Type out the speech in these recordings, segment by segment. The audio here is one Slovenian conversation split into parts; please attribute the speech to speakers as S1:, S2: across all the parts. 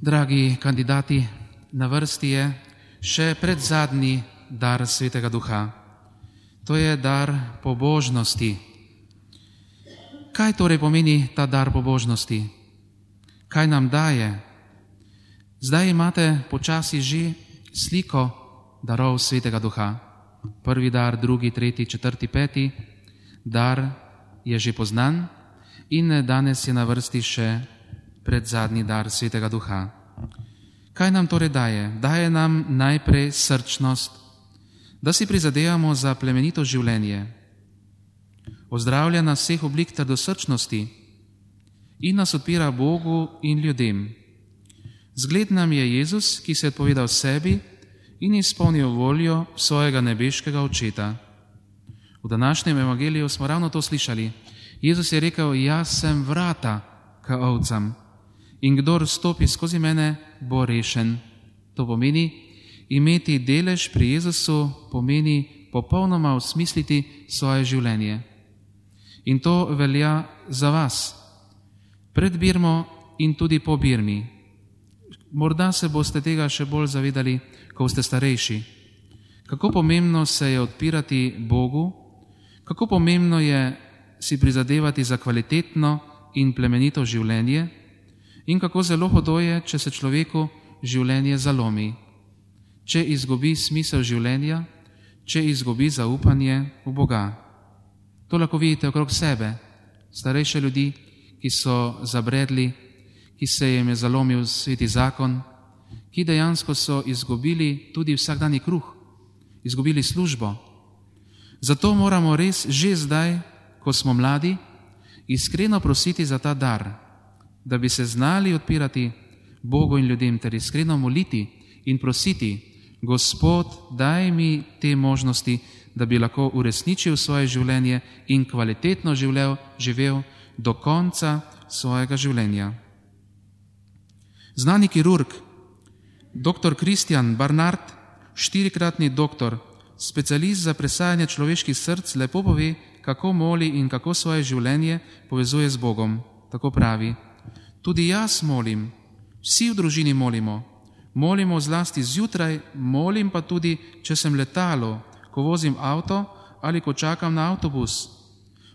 S1: Dragi kandidati, na vrsti je še predzadnji dar Svetega Duha. To je dar pobožnosti. Kaj torej pomeni ta dar pobožnosti? Kaj nam daje? Zdaj imate počasi že sliko darov Svetega Duha. Prvi dar, drugi, tretji, četrti, peti dar je že poznan in danes je na vrsti še predzadnji dar Svetega Duha. Kaj nam torej daje? Daje nam najprej srčnost, da si prizadevamo za plemenito življenje. Ozdravlja nas vseh oblik trdosrčnosti in nas odpira Bogu in ljudem. Zgled nam je Jezus, ki se je odpovedal sebi in izpolnil voljo svojega nebeškega Očeta. V današnjem evangeliju smo ravno to slišali. Jezus je rekel, jaz sem vrata k ovcam in kdor stopi skozi mene, bo rešen. To pomeni, imeti delež pri Jezusu pomeni popolnoma osmisliti svoje življenje. In to velja za vas. Pred birmo in tudi po birmi. Morda se boste tega še bolj zavedali, ko ste starejši. Kako pomembno se je odpirati Bogu, kako pomembno je si prizadevati za kvalitetno in plemenito življenje in kako zelo hudo je, če se človeku življenje zalomi, če izgubi smisel življenja, če izgubi zaupanje v Boga. To lahko vidite okrog sebe, starejše ljudi, ki so zabredli, ki se jim je zalomil sveti zakon, ki dejansko so izgubili tudi vsakdanji kruh, izgubili službo. Zato moramo res že zdaj, ko smo mladi, iskreno prositi za ta dar, da bi se znali odpirati Bogu in ljudem ter iskreno moliti in prositi, Gospod, daj mi te možnosti, da bi lahko uresničil svoje življenje in kvalitetno živel do konca svojega življenja. Znani kirurg, dr. Christian Barnard, 4-kratni doktor, specialist za presajanje človeških src, lepo pove, kako moli in kako svoje življenje povezuje z Bogom. Tako pravi, tudi jaz molim, vsi v družini molimo zlasti zjutraj, molim pa tudi, če sem letalo, ko vozim avto ali ko čakam na avtobus.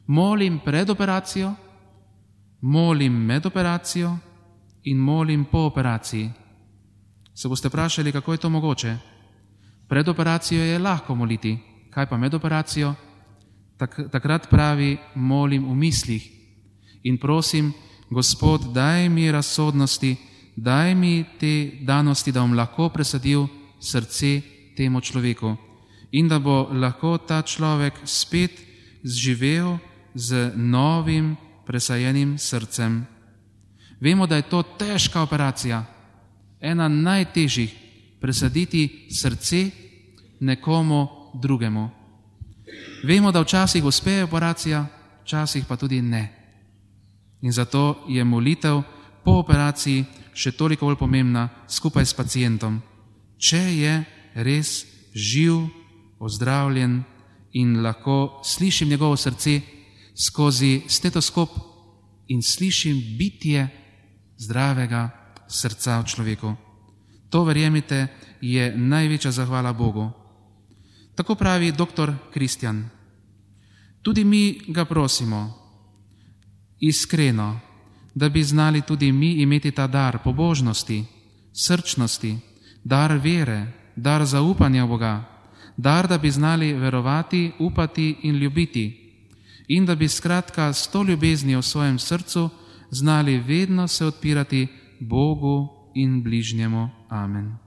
S1: Molim pred operacijo, molim med operacijo in molim po operaciji. Se boste vprašali, kako je to mogoče? Pred operacijo je lahko moliti, kaj pa med operacijo? Takrat pravi, molim v mislih in prosim, Gospod, daj mi razsodnosti, daj mi te danosti, da bom lahko presadil srce temu človeku in da bo lahko ta človek spet zživel z novim presajenim srcem. Vemo, da je to težka operacija, ena najtežjih, presaditi srce nekomu drugemu. Vemo, da včasih uspe operacija, včasih pa tudi ne. In zato je molitev po operaciji še toliko bolj pomembna skupaj s pacientom, če je res živ, ozdravljen in lahko slišim njegovo srce skozi stetoskop in slišim bitje zdravega srca v človeku. To, verjemite, je največja zahvala Bogu. Tako pravi dr. Christian. Tudi mi ga prosimo, iskreno, da bi znali tudi mi imeti ta dar pobožnosti, srčnosti, dar vere, dar zaupanja v Boga, dar, da bi znali verovati, upati in ljubiti in da bi skratka s to ljubeznijo v svojem srcu znali vedno se odpirati Bogu in bližnjemu. Amen.